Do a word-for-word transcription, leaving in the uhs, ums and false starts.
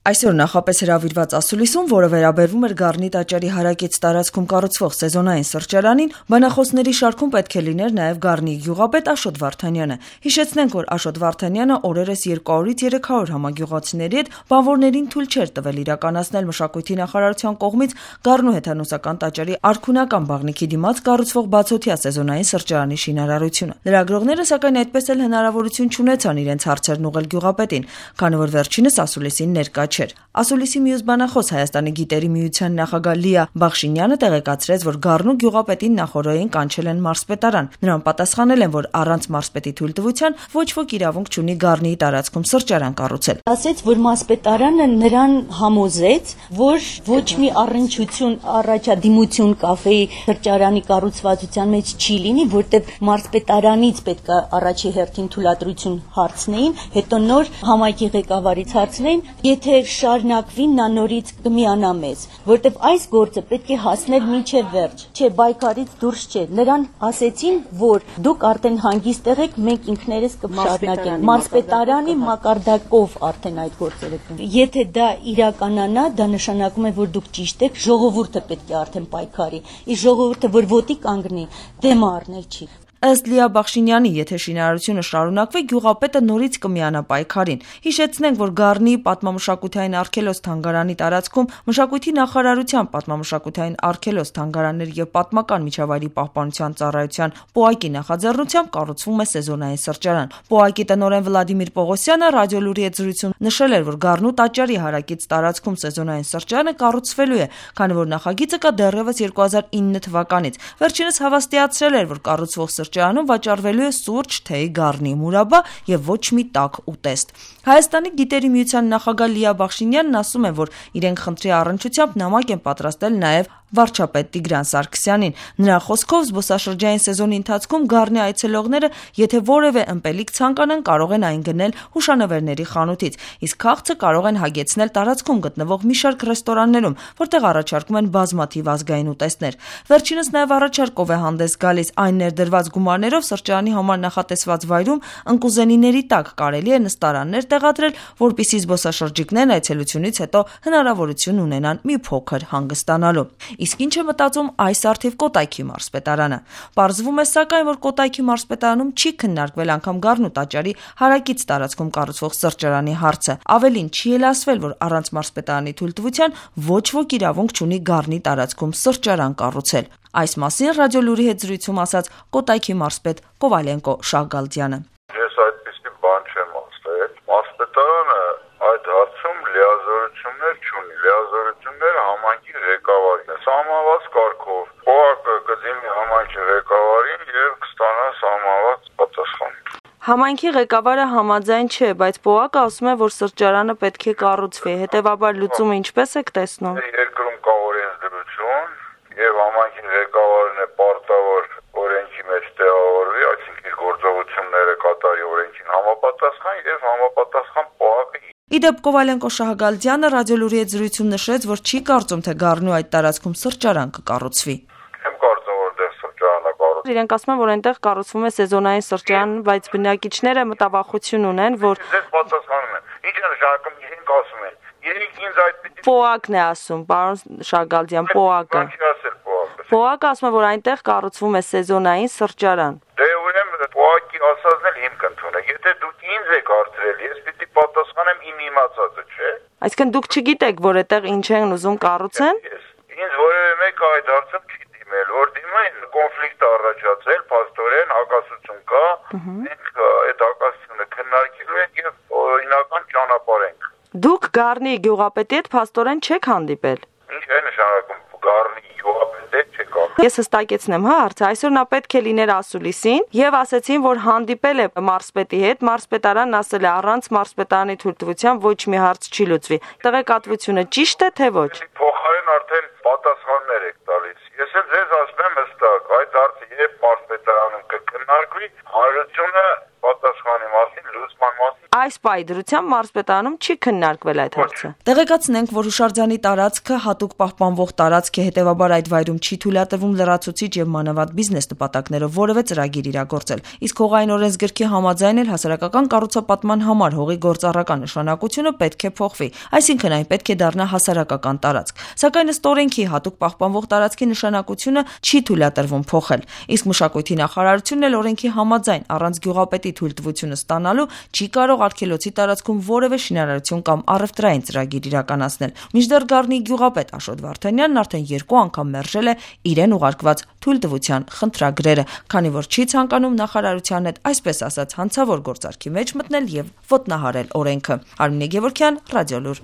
Այսօր նախապես հրավիրված ասուլիսում, որը վերաբերվում էր Գառնի տաճարի հարակից տարածքում կառուցվող սեզոնային սրճարանին, բանախոսների շարքում պետք է լիներ նաև Գառնի գյուղապետ Աշոտ Վարդանյանը։ Հիշեցնենք, որ Աշոտ Վարդանյանը օրերս երկուհարից երեք հարյուր համագյուղացիների հետ բանվորներին թույլ չէր տվել իրականացնել մշակույթի նախարարության կողմից Գառնու հեթանոսական տաճարի արքունական բաղնիքի դիմաց կառուցվող բացօթյա սեզոնային սրճարանի շինարարությունը։ Լրագրողները սակայն այդպես էլ հնարավորություն չունեցան իրենց հարցերն ուղղել գյուղապետին, քանի որ վերջինս ասուլիսին ներկա չէր։ Ասուլիսի մյուս բանախոս Հայաստանի գիտերի միության նախագահ Լիա Բախշինյանը տեղեկացրեց, որ Գառնու գյուղապետին նախօրեին կանչել են մարզպետարան։ Նրան պատասխանել են, որ առանց մարզպետի թույլտվության ոչ ոք իրավունք չունի Գառնիի տարածքում սրճարան կառուցել։ Ասեց, որ մարզպետարանը նրան համոզեց, որ ոչ մի առնչություն առաջադիմություն կաֆեի սրճարանի կառուցվածության մեջ չի լինի, որտեղ մարզպետարանից պետք է առաջի հերթին թույլատրություն հարցնեին, հետո նոր համայնքի ղեկավարից հարցնեին, եթե շարունակվին նա նորից կմիանա մեզ, որտեվ այս գործը պետք է հասնել մինչև վերջ, չէ, բայկարից դուրս չէ։ Նրան ասեցին, որ դուք արդեն հանգիստ եղեք, մենք ինքներս կշարունակենք։ Մարզպետարանի մակարդակով արդեն այդ գործերը կան։ Եթե դա իրականանա, դա նշանակում է, որ դուք ճիշտ եք, ժողովուրդը պետք է արդեն պայքարի։ Իսկ ժողովուրդը, որ ոտի կանգնի, դեմ առնել չի։ Ըստ Լիա Բախշինյանի, եթե շինարարությունը շարունակվի, գյուղապետը նորից կմիանա պայքարին։ Հիշեցնենք, որ Գառնիի պատմամշակութային արգելոց-թանգարանի տարածքում մշակույթի նախարարության պատմամշակութային արգելոց-թանգարաններ եւ պատմական միջավայրի պահպանության ծառայության ՊՕԱԿ-ի նախաձեռնությամբ կառուցվում է սեզոնային սրճարան։ ՊՕԱԿ-ի տնօրեն Վլադիմիր Պողոսյանը ռադիոլուրի հետ զրույցում նշել էր, որ Գառնու տաճարի հարակից տարածքում սեզոնային սրճարանը կառուցվելու է, քանի որ նախագիծը կա դեռևս երկու հազար ինը թվականից։ Վերջինս հավաստիացրել էր, որ կառուցվող սրճարանում վաճառվելու է սուրճ, թեյ, Գառնի մուրաբա եւ ոչ մի տաք ուտեստ։ Հայաստանի գիտերի միության նախագահ Լիա Բախշինյանն ասում է, որ իրենք խնդրի առնչությամբ նամակ են պատրաստել նաեւ վարչապետ Տիգրան Սարգսյանին։ Նրա խոսքով զբոսաշրջային սեզոնի ընթացքում Գառնի այցելողները, եթե որևէ ըմպելիք ցանկանան, կարող են այն գնել հուշանվերների խանութից, իսկ քաղցը կարող են հագեցնել տարածքում գտնվող մի շարք ռեստորաններում, որտեղ առաջարկում են բազմաթիվ ազգային ուտեստներ։ Վերջինս նաև առաջարկով է հանդես գալիս այն ներդրված գումարներով սրճարանի համար նախատեսված վայրում ընկուզենիների տակ կարելի է նստարաններ տեղադրել, որպեսզի զբոսաշրջիկներն այցելությունից հետո հնարավորություն ունենան մի փոքր հանգստանալու։ Իսկ ինչ է մտածում այս առթիվ Կոտայքի մարզպետարանը։ Պարզվում է սակայն, որ Կոտայքի մարզպետարանում չի քննարկվել անգամ Գառնու տաճարի հարակից տարածքում կառուցվող սրճարանի հարցը։ Ավելին, չի էլ ասվել, որ առանց մարզպետարանի թույլտվության ոչ ոք իրավունք չունի Գառնի տարածքում սրճարան կառուցել։ Այս մասին ռադիոլուրի հետ զրույցում ասաց Կոտայքի մարզպետ Կովալենկո Շահգալդյանը։ Ես այդպիսի բան չեմ ասել։ Մարզպետարանը այդ հարցում լիազորություններ չունի։ Լիազորությունները համայնքի ղեկավարին է։ Սահմանված կարգով ՊՕԱԿ-ը կդիմի համայնքի ղեկավարին եւ կստանա սահմանված պատասխան։ Համայնքի ղեկավարը համաձայն չէ, բայց ՊՕԱԿ-ը ասում է, որ սրճարանը պետք է կառուցվի։ Հետևաբար լուծումը ինչպես եք տեսնում։ Երկրում կա օրենսդրություն եւ համայնքի ղեկավարն է պարտավոր օրենքի մեջ տեղավորվի, այսինքն իր գործողությունները կատարի օրենքին համապատասխան եւ համապատասխան ՊՕԱԿ-ը։ Իդեպ Կովալենկո Շահգալդյանը ռադիոլուրի հետ զրույցում նշեց, որ չի կարծում, թե Գառնու այդ տարածքում սրճարան կկառուցվի։ Չեմ կարծում, որ դեռ սրճարանը կառուցվի։ Իրենք ասում են, որ այնտեղ կառուցվում է սեզոնային սրճարան, բայց բնակիչները մտավախություն ունեն, որ Ձեզ պատասխանում են։ Ինչ է նշանակում, իրենք ասում են։ Երեք ինձ այդ ՊՕԱԿ-ն է ասում, պարոն Շահգալդյան, ՊՕԱԿ-ը։ ՊՕԱԿ-ը ասում է, որ այնտեղ կառուցվում է սեզոնային սրճարան։ Դե ուրեմն ՊՕԱԿ-ի ասածն էլ հիմք ընդունեք։ Եթե դուք ինձ եք հարցրել, ես պիտի պատասխանեմ իմ իմացածը, չէ՞։ Այսինքն դուք չգիտեք, որ այդտեղ ինչ են ուզում կառուցեն։ Ինձ որևէ մեկը այդ հարցում չի դիմել, որ դիմային կոնֆլիկտ առաջացել, փաստորեն հակասություն կա, մենք այդ հակասությունը քննարկելու ենք եւ օրինական ճանապարհ ենք։ Դուք Գառնի գյուղապետի հետ փաստորեն չեք հանդիպել։ Ինչ է նշանակում Գառնի գյուղապետի հետ չեք հանդիպել։ Ես հստակեցնեմ, հա, հարցը այսօր նա պետք է լիներ ասուլիսին եւ ասեցին, որ հանդիպել է մարզպետի հետ, մարզպետարանն ասել է առանց մարզպետարանի թույլտվության ոչ մի հարց չի լուծվի։ Տեղեկատվությունը ճիշտ է թե ոչ։ Փոխարեն արդեն պատասխաններ եք տալիս։ Ես էլ ձեզ ասում եմ հստակ, այդ հարցը երբ մարզպետարանում կքննարկվի, հանրությունը պատասխանի մասին, լուծման մասին այս պահի դրությամբ մարզպետարանում չի քննարկվել այդ հարցը։ Տեղեկացնենք, որ հուշարձանի տարածքը հատուկ պահպանվող տարածք է, հետևաբար այդ վայրում չի թույլատրվում լրացուցիչ եւ մանավանդ բիզնես նպատակներով որևէ ծրագիր իրագործել։ Իսկ հողային օրենսգրքի համաձայն էլ հասարակական կառուցապատման համար հողի գործառական նշանակությունը պետք է փոխվի, այսինքն այն պետք է դառնա հասարակական տարածք։ Սակայն ըստ օրենքի հատուկ պահպանվող տարածքի նշանակությունը չի թույլատրվում փոխել։ Իսկ մշակույթի նախարարությունն էլ օրենքի համաձայն առանց գյուղապետի թույլտվությունը ստանալու չի կարող արգելոցի տարածքում որևէ շինարարություն կամ առևտրային ծրագիր իրականացնել։ Մինչդեռ Գառնիի գյուղապետ Աշոտ Վարդանյանն արդեն երկու անգամ մերժել է իրեն ուղարկված թույլտվության խնդրագրերը, քանի որ չի ցանկանում նախարարության հետ, այսպես ասած, հանցավոր գործարքի մեջ մտնել եւ ոտնահարել օրենքը։ Արմինե Գևորգյան, Ռադիոլուր։